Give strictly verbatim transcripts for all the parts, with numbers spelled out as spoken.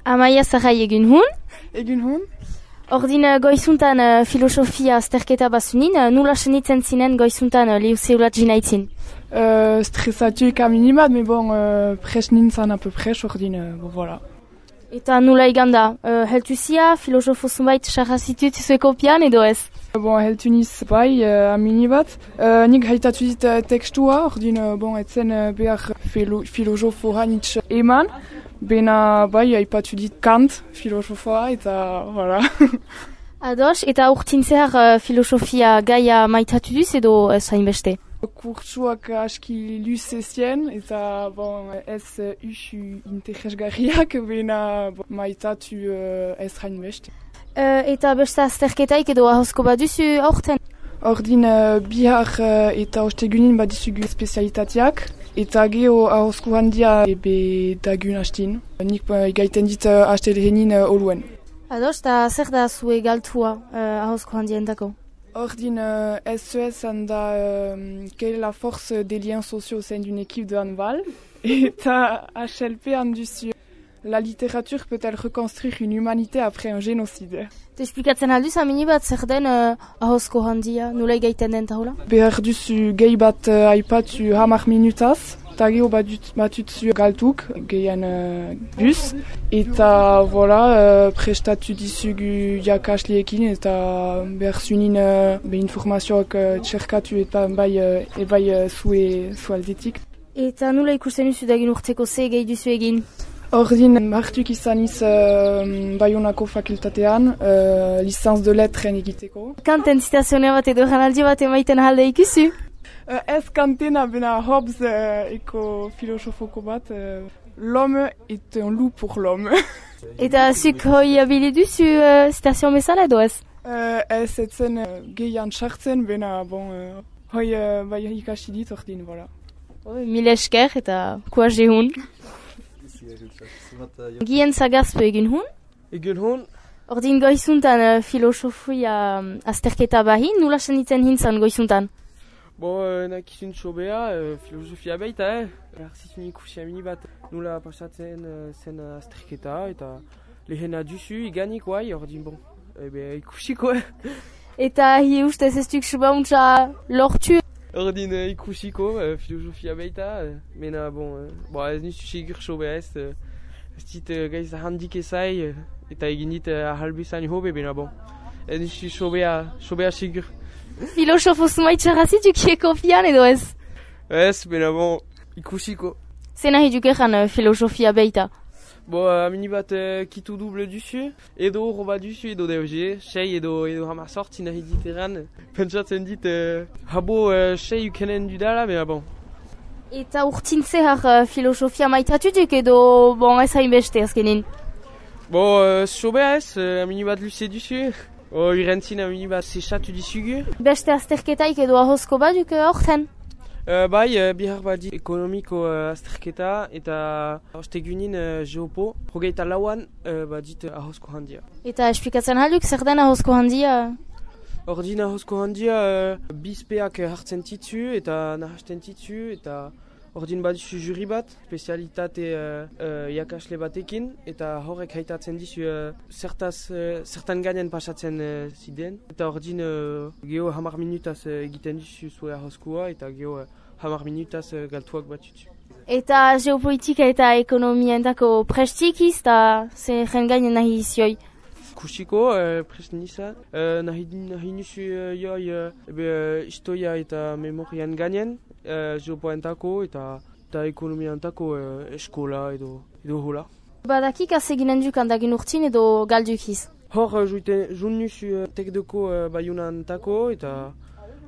Amaia Zarai egin hun. Egin hun. Ordin goizuntan uh, filosofia azterketa bazunin, uh, nula senitzen zinen goizuntan uh, liuzeulat jinaitzin? Uh, Stresatuik aminibat, mais bon, uh, pres nintzen a peu pres, ordin, uh, bon, voilà. Eta nula iganda, uh, heltu zia, filosofo zunbait sarrazitut zueko pian edo ez? Bon, heltu niz bai, uh, aminibat. Uh, nik haitatu dit uh, tekstua, ordin, uh, bon, etzen uh, behar filo, filosofo hanitz eman. Bena, bai, haipatu dit Kant, filosofoa, eta, voilà. Ados, eta urtin zehar uh, filosofia gaia maitatu duz edo ez hainbeste? Kurtsuak aski luzezien, eta, bon, ez uh, usu interesgarriak, bena, bon, maitatu uh, ez hainbeste. Uh, eta beste azterketaik edo ahozko baduzu aurten? Ordin uh, bihar uh, eta ostegunin badizugu spezialitateak. Eta geho ahozko handia ebe dagun hastin. Nik uh, gaiten dit uh, hastelehenin uh, oluen. Ados, eta zer da zue galtua uh, ahozko handien dako? Ordin uh, S E S handa uh, quelle est la force des liens sociaux au sein d'une équipe de handball. Eta H L P handuzu. La littérature peut-elle reconstruire une humanité après un génocide? Esplikatzen alduz amini bat zer den uh, ahozko handia, nula gaiten den tahola? Behar duzu gehi bat uh, aipatu hamar minutaz, eta geho batutzu galtuk, gehien uh, bus, eta voilà, uh, prestatu dizugu jakasliekin, eta behar zunin uh, be informazioak uh, txerkatu eta bai, uh, e bai uh, zue zualdetik. Eta nula ikusten duzu dagin urteko ze gehi duzu egin? Ordin hartuk izaniz uh, Bayonako fakultatean, uh, licenz de letren egiteko. Kanten zitazionea bat edo janaldi bat emaiten halde ikusi? Uh, ez kantena bena Hobbes uh, eko filosofoko bat, uh, l'homme est un loup pour l'homme. Eta zuk hoi abili duzu uh, zitazion bezala edo ez? Uh, ez etzen uh, gehian txartzen, bena bon, uh, hoi uh, bai ikasi dit ordin, voilà. Mil esker eta kuaze hun. Gien zagazpe egin hun? Egin hun? Ordin goizuntan uh, filosofia um, azterketa bahin, nula senitzen hintzan goizuntan? Bo, uh, nakizun txobea, uh, filosofia baita, eh? Erzitun ikusi amini bat nula pasatzen uh, zen azterketa, eta lehena duzu iganik guai, ordin bon, ebe ikusiko, eh? Eta hi ustez ez duk subauntza lortu? Ordin uh, ikusiko, uh, filosofia baita, uh, mena bon, uh, bo, ez nizu segur sobea ez, uh, ez dit uh, gaiz handik ezai, uh, eta egin dit uh, ahalbezan hobe, bena bon, ez nizu sobea, sobea segur. Filosofo zumaitxarrazit dukieko pian edo ez? Ez, bena bon, ikusiko. Zena hi dukeran uh, filosofia baita? Bo, uh, amini bat uh, kitu duble duzu, edo roba duzu, edo D O G, sei edo, edo hamar sorti nahi diteran. Pentsatzen dit, uh, habo uh, sei ukenen dudala, mena bon. Eta urtin zehar uh, filosofia maitatutuk edo bon ez hainbeste azkenin? Bo, uh, sobea ez, uh, amini bat luze duzu. O, irentzin amini bat sexatu dizugu. Beste azterketaik edo ahozko baduk horten? Uh, bai, uh, bihar badi ekonomiko uh, azterketa eta ostegunin uh, geopo. Progeita lauan uh, badit uh, ahozko handia. Eta esplikatzen halduk zer den ahozko handia? Ordin ahozko handia uh, bizpeak hartzen titzu eta nahasten titzu eta ordin badizu juri bat, spezialitate uh, uh, jakasle batekin, eta horrek haitatzen dizu uh, zertaz, uh, zertan gainen pasatzen uh, ziden. Eta ordin uh, geho hamar minutaz uh, egiten dizu zue ahozkoa, eta geho uh, hamar minutaz uh, galtuak batutzu. Eta geopolitika eta ekonomientako prestikiz, eta zer gainen nahi izioi? Kusiko, uh, prest nizan, uh, nahi, nahi nizu uh, joi uh, ebe uh, historia eta memorian gainen, uh, geopoentako eta, eta ekonomiantako uh, eskola edo, edo hola. Badakik azeginen duk handagin urtin edo galdukiz? Hor, uh, jun nizu uh, tekdeko uh, bayunantako eta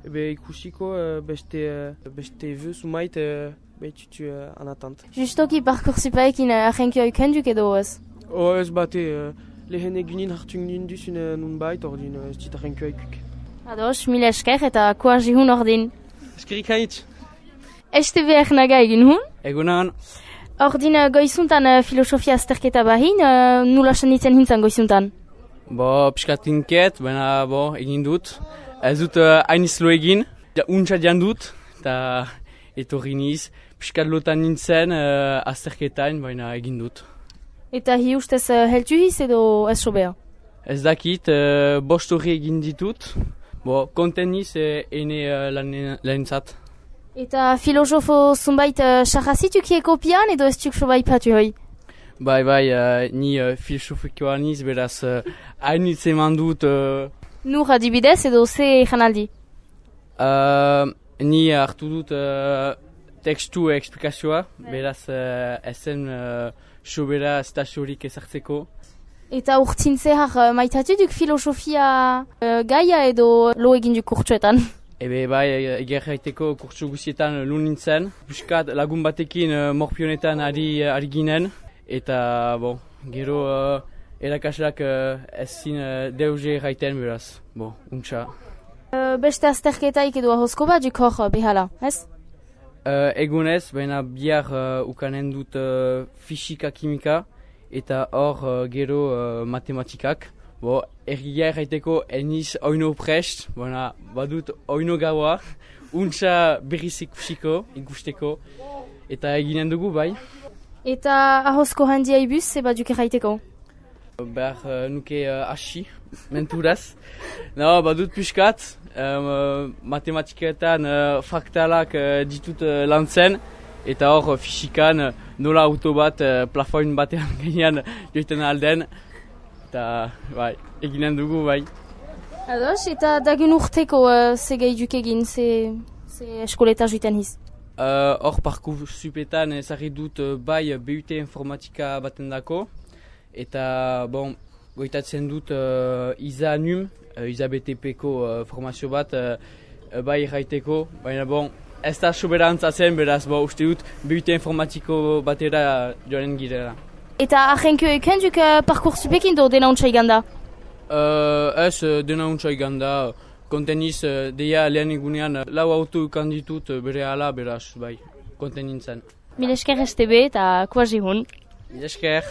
ebe ikusiko uh, beste, uh, beste veu sumait uh, behitutu uh, anatant. Justoki parkursipaekin uh, ahenkio ikenduk edo ez? Oh, ez bate, uh, lehen egunin hartu ginen duzun nun bait, ordin ez dit ahenkio ikuk. Ados, mil esker eta koazi hun ordin. Eskerik hainitz. Este behar naga egin hun? Egunan. Ordin goizuntan uh, filosofia azterketa bahin, uh, nula senitzen hintzan goizuntan? Bo, pixkatinket, baina bo, egin dut. Ez dut uh, hainizlo egin, ja, untsa dian dut, eta etorri niz. Piskat lotan nintzen uh, azterketain, baina egin dut. Eta hi ustez uh, heltu hiz edo ez sobea? Ez dakit, uh, bost horri egin ditut, bo, konten niz e, ene uh, lanintzat. Eta filosofo zunbait uh, sarrazituk kopian edo ez tuk sobai patu hoi? Bai, bai, uh, ni uh, filosofikoa niz, beraz, uh, hainitz eman dut... Uh, Nur adibidez edo ze janaldi? Uh, ni hartu dut uh, tekstu eksplikazioa, beraz uh, ezen uh, sobera estaziorik ezartzeko. Eta urtzin zehar uh, maitatu duk filosofia uh, gaia edo lo egin duk kurtsuetan? Ebe bai, eger gaiteko kurtsu guzietan lu nintzen. Puskat lagun batekin uh, morpionetan ari, ari ginen. Eta, bon, gero uh, erakasleak uh, ezin uh, deuze gaiten beraz. Bo, untxa. Uh, beste azterketaik edo ahozko bat duk hor behala, ez? Uh, egunez, baina bihar uh, ukanen dut uh, fisika kimika eta hor uh, gero uh, matematikak. Bo, ergia erraiteko eniz oino prest, baina badut oino gaua, untxa berriz ikusiko, ikusteko, eta eginen dugu bai. Eta ahozko handia ibuz, eba duk erraiteko? Behar uh, nuke uh, hasi, menturaz. No, badut piskat, um, matematiketan uh, faktalak uh, ditut uh, lantzen, eta hor uh, fisikan uh, nola auto bat uh, plafoin batean gainean joiten alden. Eta, bai, eginen dugu, bai. Ados, eta dagun urteko uh, ze gai duk egin, ze, ze eskoleta joiten hiz? Hor uh, parkour supetan ezarri dut uh, bai B U T informatika baten dako. Eta, bon, goitatzen dut uh, iza num, uh, iza B T P-ko uh, formazio bat, uh, bai erraiteko, baina bon, ez da soberantza zen, beraz, bo, uste dut B U T informatiko batera joanen girela. Eta ahenko eken duk uh, parkour supekin do dena untsa iganda? Uh, ez, dena untsa iganda, konteniz, uh, deia lehen egunean, uh, lau auto ukan ditut uh, bere ala, beraz, bai, konten nintzen. Mil esker S T B eta kuazi hun. Mil esker.